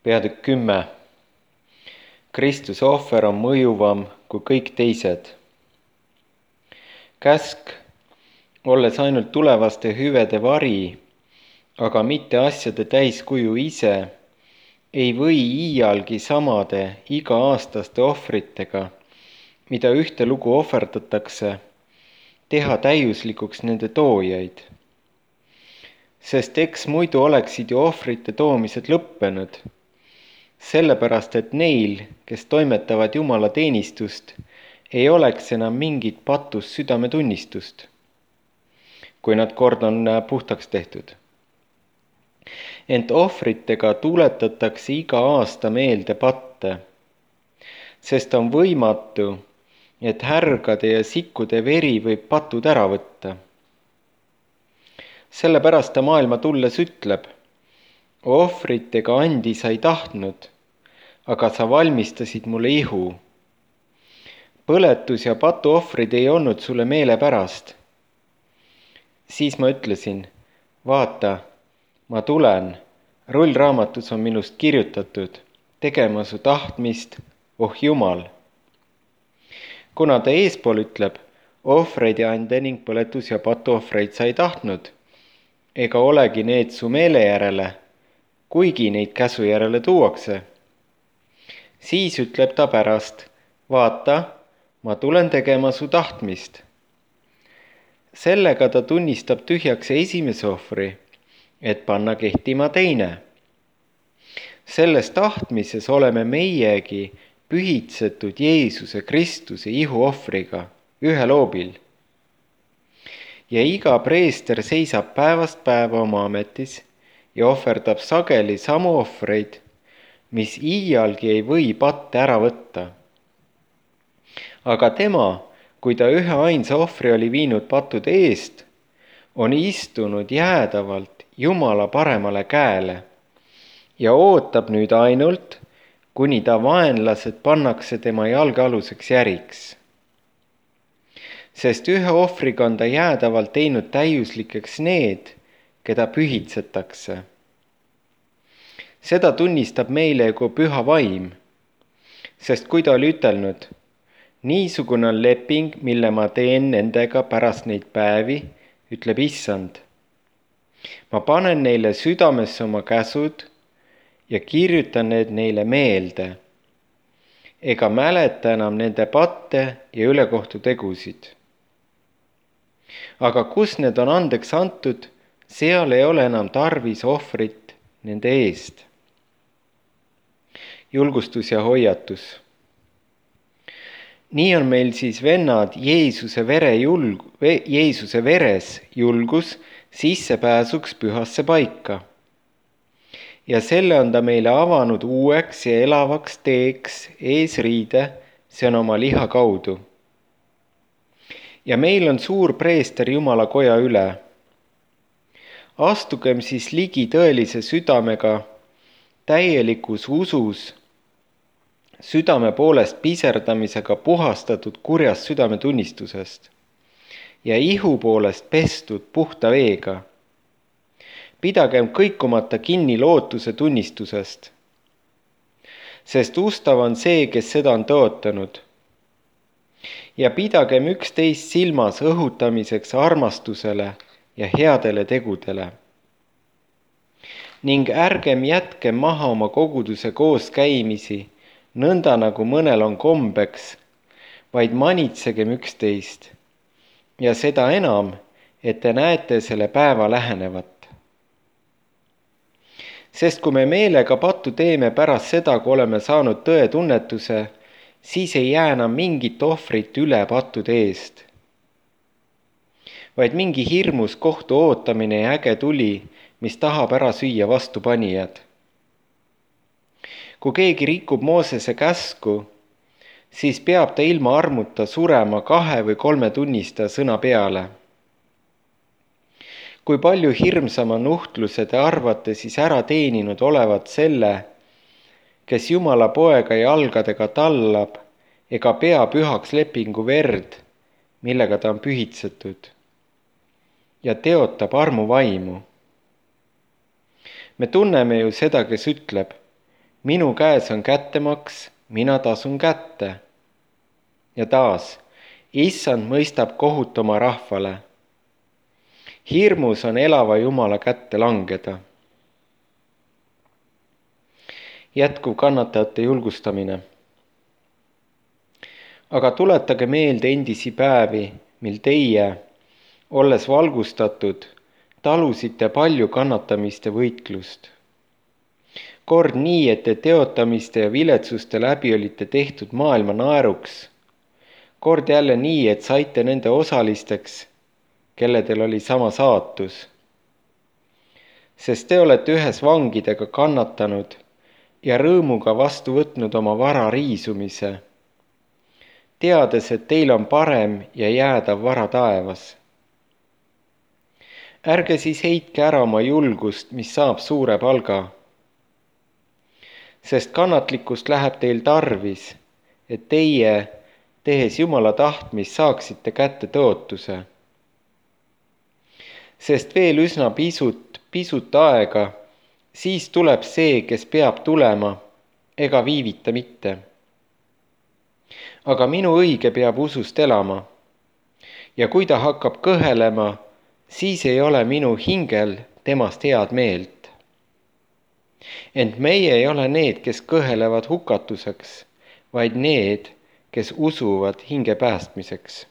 Peatükk 10. Kristuse ohver on mõjuvam kui kõik teised. Käsk, olles ainult tulevaste hüvede vari, aga mitte asjade täiskuju ise, ei või iialgi samade iga-aastaste ohvritega, mida ühtelugu ohverdatakse, teha täiuslikuks nende toojaid. Sest eks muidu oleksid ju ohvrite toomised lõppenud, sellepärast et neil, kes toimetavad Jumala teenistust, ei oleks enam mingit patust südametunnistust, kui nad kord on puhtaks tehtud. Ent ohvritega tuletatakse iga aasta meelde patte, sest on võimatu, et härgade ja sikkude veri võib patud ära võtta. Sellepärast ta maailma tulles ütleb: ohvritega andi sa ei tahtnud, aga sa valmistasid mulle ihu. Põletus ja patuohvrid ei olnud sulle meelepärast. Siis ma ütlesin: vaata, ma tulen, rullraamatus on minust kirjutatud, tegema su tahtmist, oh Jumal. Kuna ta eespool ütleb: ohvreid ja ande ning põletus ja patuohvreid sa ei tahtnud, ega olegi need su meele järele, kuigi neid käsu järele tuuakse. Siis ütleb ta pärast: vaata, ma tulen tegema su tahtmist. Sellega ta tunnistab tühjaks esimese ohvri, et panna kehtima teine. Selles tahtmises oleme meiegi pühitsetud Jeesuse Kristuse ihuohvriga ühel hoobil. Ja iga preester seisab päevast päeva oma ametis ja ohverdab sageli samu ohvreid, mis iialgi ei või patte ära võtta. Aga tema, kui ta ühe ainsa ohvri oli viinud pattude eest, on istunud jäädavalt Jumala paremale käele ja ootab nüüd ainult, kuni ta vaenlased pannakse tema jalgealuseks järiks. Sest ühe ohvriga on ta jäädavalt teinud täiuslikeks need, keda pühitsetakse. Seda tunnistab meile kui püha vaim, sest kui ta oli ütelnud: niisugune on leping, mille ma teen nendega pärast neid päevi, ütleb Issand. Ma panen neile südamesse oma käsud ja kirjutan need neile meelde, ega mäleta enam nende patte ja ülekohtu tegusid. Aga kus need on andeks antud, seal ei ole enam tarvis ohvrit nende eest. Julgustus ja hoiatus. Nii on meil siis, vennad, Jeesuse veres julgus sissepääsuks pühasse paika. Ja selle on ta meile avanud uueks ja elavaks teeks eesriide, see on oma liha kaudu. Ja meil on suur preester Jumala koja üle. Astugem siis ligi tõelise südamega, täielikus usus, südame poolest piserdamisega puhastatud kurjast südametunnistusest ja ihu poolest pestud puhta veega. Pidagem kõikumata kinni lootuse tunnistusest, sest ustav on see, kes seda on tõotanud. Ja pidagem üksteist silmas õhutamiseks armastusele ja headele tegudele. Ning ärgem jätkem maha oma koguduse koos käimisi, nõnda nagu mõnel on kombeks, vaid manitsegem üksteist. Ja seda enam, et te näete selle päeva lähenevat. Sest kui me meelega pattu teeme pärast seda, kui oleme saanud tõe tunnetuse, siis ei jää enam mingit ohvrit üle pattude eest. Vaid mingi hirmus kohtu ootamine ja äge tuli, mis tahab ära süüa vastupanijad. Kui keegi rikub Moosese käsku, siis peab ta ilma armuta surema 2 või 3 tunnistaja sõna peale. Kui palju hirmsama nuhtluse te arvate siis ära teeninud olevat selle, kes Jumala poega jalgadega tallab ega pea pühaks lepingu verd, millega ta on pühitsetud, ja teotab armu vaimu. Me tunneme ju seda, kes ütleb: Minu käes on kättemaks, mina tasun kätte. Ja taas, issand mõistab kohut oma rahvale. Hirmus on elava Jumala kätte langeda. Jätkuv kannatajate julgustamine. Aga tuletage meelde endisi päevi, mil teie, olles valgustatud, talusite palju kannatamist ja võitlust. Kord nii, et te teotamiste ja viletsuste läbi olite tehtud maailma naeruks. Kord jälle nii, et saite nende osalisteks, kelledel oli sama saatus. Sest te olete ühes vangidega kannatanud ja rõõmuga vastu võtnud oma vara riisumise, teades, et teil on parem ja jäädav vara taevas. Ärge siis heitke ära oma julgust, mis saab suure palga. Sest kannatlikkust läheb teil tarvis, et teie, tehes Jumala tahtmist, saaksite kätte tõotuse. Sest veel üsna pisut aega, siis tuleb see, kes peab tulema, ega viivita mitte. Aga minu õige peab usust elama. Ja kui ta hakkab kõhelema, siis ei ole minu hingel temast head meelt. Ent meie ei ole need, kes kõhelevad hukatuseks, vaid need, kes usuvad hinge päästmiseks.